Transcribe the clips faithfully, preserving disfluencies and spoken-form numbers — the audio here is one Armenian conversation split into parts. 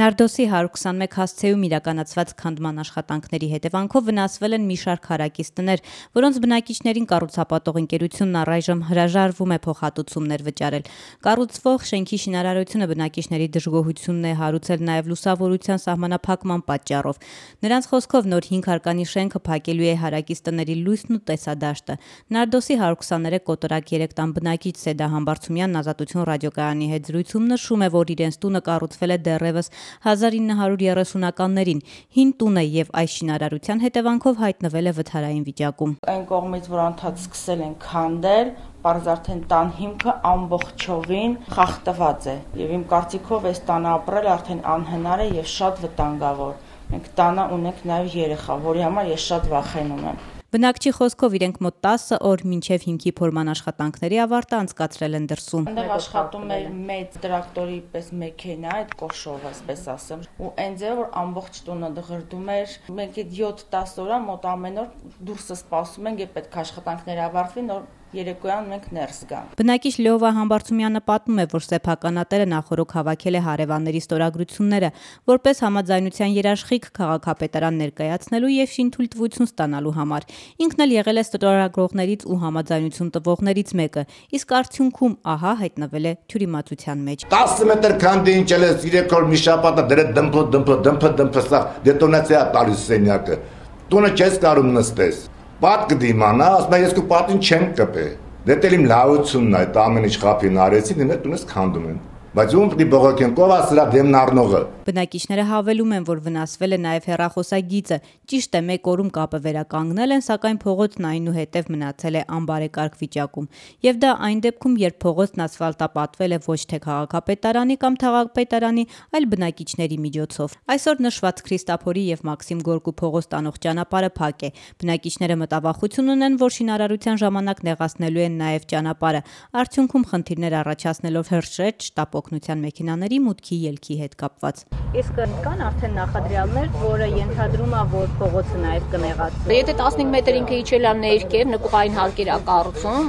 Նարդոսի հարյուր քսանմեկ հասցեում իրականացված քանդման աշխատանքների հետևանքով վնասվել են մի շարք հարակից տներ, որոնց բնակիչներին կառուցապատող ընկերությունն առայժմ հրաժարվում է փոխհատուցումներ վճարել։ Կառուցվող շենքի շինարարությունը բնակիչների դժգոհությունն է հարուցել նաև լուսավորության սահմանափակման պատճառով։ Նրանց խոսքով նոր հինգ հարկանի շենքը փակելու է հարակից տների լույսն ու տեսադաշտը։ Նարդոսի հարյուր քսաներեք կոտորակ երեք տան բնակիչ Սեդա Համբարձումյանն Ազատություն ռադիոկայանի հետ զրույցում նշում է, որ իրենց տունը կառուցվել է դեռևս հազար ինը հարյուր երեսունականներին, հին տուն է եւ այս շինարարության հետևանքով հայտնվել է վթարային վիճակում։ Այն կողմից, որ անդադ սկսել են քանդել, պարզ արդեն տան հիմքը ամբողջովին խախտված է եւ իմ կարծիքով այս տանը ապրել արդեն անհնար է եւ շատ վտանգավոր։ Մենք տանը ունենք նաեւ երեխա, որի համար ես շատ վախենում եմ։ Բնակչի խոսքով իրենք մոտ տասը օր մինչև հիմքի փորման աշխատանքների ավարտը անցկացրել են դրսում։ Այնտեղ աշխատում էր մեծ տրակտորի պես մեքենա, այդ կոշովը, ասպես ասեմ, ու այն ձևը, որ ամբողջ տունը դղրդում էր։ Մենք այդ յոթ-տասը օր մոտ ամեն օր դուրսը սպասում ենք, երբ պետք է աշխատանքները ավարտվի, նոր երեկոյան մենք ներս գանք։ Բնակիչ Լեովա Համբարձումյանը պատմում է, որ սեփականատերը նախորոք հավաքել է հարևանների ստորագրությունները, որպես համաձայնության երաշխիք քաղաքապետարան ներկայացնելու եւ շինթույլտվություն ստանալու համար։ Ինքն էլ եղել է ստորագրողներից ու համաձայնություն տվողներից մեկը, իսկ արդյունքում ահա հայտնվել է թյուրիմացության մեջ։ տասը մետր քանդի ինչել է երեք օր մի շաբաթ դրե դմփ դմփ դմփ դմփ սա դետոնացիա տալիս սենյակը։ Տունը չես կարող նստես։ Պատ կդիմանա, ասում ես քո պատին չեմ կպե։ Դե դել իմ լավությունն է, այդ ամեն ինչ խափին արեցի, դե տունս քանդում են։ Բայց ում պիտի բողոքեն, ով է սրա դեմն առնողը։ Բնակիչները հավելում են, որ վնասվել է նաև հեռախոսագիծը։ Ճիշտ է, մեկ օրում կապը վերականգնել են, սակայն փողոցն այնուհետև մնացել է անբարեկարգ վիճակում։ Եվ դա այն դեպքում, երբ փողոցն ասֆալտապատվել է ոչ թե քաղաքապետարանի կամ թաղապետարանի, այլ բնակիչների միջոցով։ Այսօր նշված Քրիստափորի եւ Մաքսիմ Գորկու փողոց տանող ճանապարհը փակ է։ Բնակիչները մտավախություն ունեն, որ շինարարության ժամանակ նեղացնելու են նաև ճանապարհը։ Արդյունքում խնդիրներ առաջացնելով հրշեջ շտապ օգնության մեքենաների մուտքի ելքի հետ կապված։ Իսկ կան արդեն նախադրյալներ, որը ենթադրում է, որ փողոցը նաև կնեղացվի։ Եթե տասնհինգ մետր ինքը իջել է ներքև, նկուղային հարկեր է կառուցում,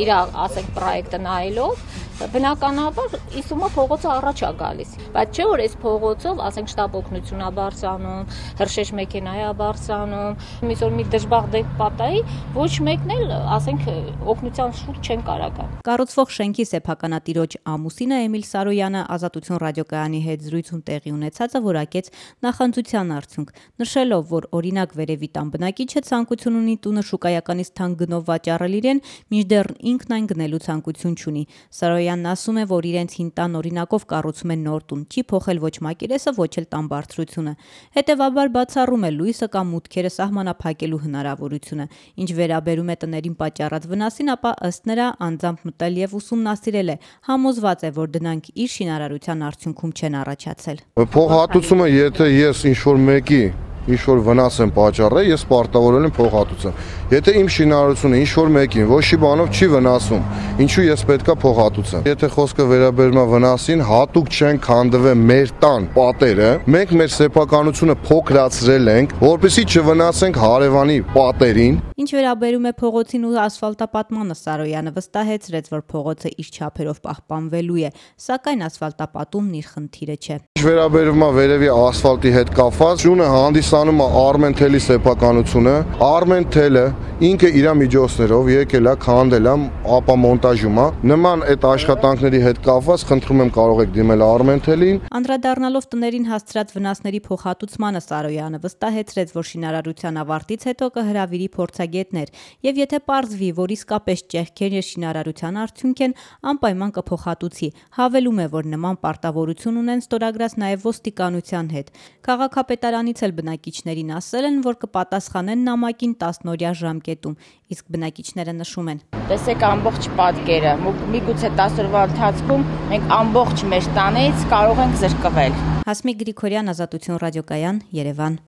իր ասենք պրոյեկտը նայելով, բնականաբար իսումա փողոցը առաջ է գալիս։ Բայց չէ որ այս փողոցով, ասենք շտապ օգնություն է բարձրանում, հրշեջ մեքենա է բարձրանում, միսօր մի դժբախտ դեպք պատահի, ոչ մեկն էլ, ասենք, օգնության շուրջ չեն կարող գալ։ Կառուցվող շենքի սեփականատիրոջ ամուսինը Էմիլ Սարոյանը Ազատություն ռադիոկայանի հետ զրույցում տեղի ունեցածը որակեց նախանձության արդյունք, նշելով, որ օրինակ վերևի տան բնակիչը ցանկություն ունի տունը շուկայականից թանկ գնով վաճառել իրեն, մինչդեռ ինքն այն գնելու ցանկություն չունի։ Սարոյանն ասում է, որ իրենց հին տան օրինակով կառուցում են նոր տուն, չի փոխել ոչ մակերեսը, ոչ էլ տան բարձրությունը։ Հետևաբար բացառում է լույսը կամ մուտքերը սահմանափակելու հնարավորությունը։ Ինչ վերաբերում է տներին պատճառած վնասին, ապա ըստ նրա անձամբ մտել եւ ուսումնասիրել է, համոզված է, որ դրանք իր շինարարության արդյունքում չեն առաջացել։ Փոխհատուցումը, եթե ես ինչ-որ մեկի ինչ-որ վնաս եմ պատճառել, ես պարտավորել եմ փոխհատուցեմ։ Եթե իմ շինարարությունը ինչ-որ մեկին ոչի բանով չի վնասում, ինչու ես պետքա փոխհատուցեմ։ Եթե խոսքը վերաբերում է վնասին, հատուկ չեն քանդվել մեր տան պատերը, մենք մեր սեփականությունը փոքրացրել ենք, որպեսզի չվնասենք հարևանի պատերին։ Ինչ վերաբերում է փողոցին ու ասֆալտապատմանը, Սարոյանը վստահեցրեց, որ փողոցը իր չափերով պահպանվելու է, սակայն ասֆալտապատումն իր խնդիրը չէ։ Ինչ վերաբերում է վերևի ասֆալտի հետ կապված, շունը հանդիսանում է Armen Tel-ի սեփականությունը, Armen Tel-ը ինքը իր միջոցներով եկել է, քանդել է, ապա մոնտաժում է։ Նման այդ աշխատանքների հետ կապված խնդրում եմ կարող եք դիմել Armen Tel-ին։ Անդրադառնալով տներին հասցրած վնասների փոխհատուցմանը, Սարոյանը վստահեցրեց, որ շինարարության ավարտից հետո կհրավիրի փորձագետներ, եւ եթե պարզվի, որ իսկապես ճեղքեր եւ շինարարության արդյունք են, անպայման կփոխհատուցի։ Հավելում է, որ նման պարտավորություն ունեն ստորագրած նաեւ ոստիկանության հետ։ Քաղաքապետարանից էլ բնակիչներին ասել են, որ կպատասխանեն նամակին տասնօրյա ժամկետում, իսկ բնակիչները նշում են. Տեսեք ամբողջ պատկերը, միգուցե տասը օրվա ընթացքում մենք ամբողջ մեր տանից կարող ենք զրկվել։ Հասմիկ Գրիգորյան, Ազատություն ռադիոկայան, Երևան։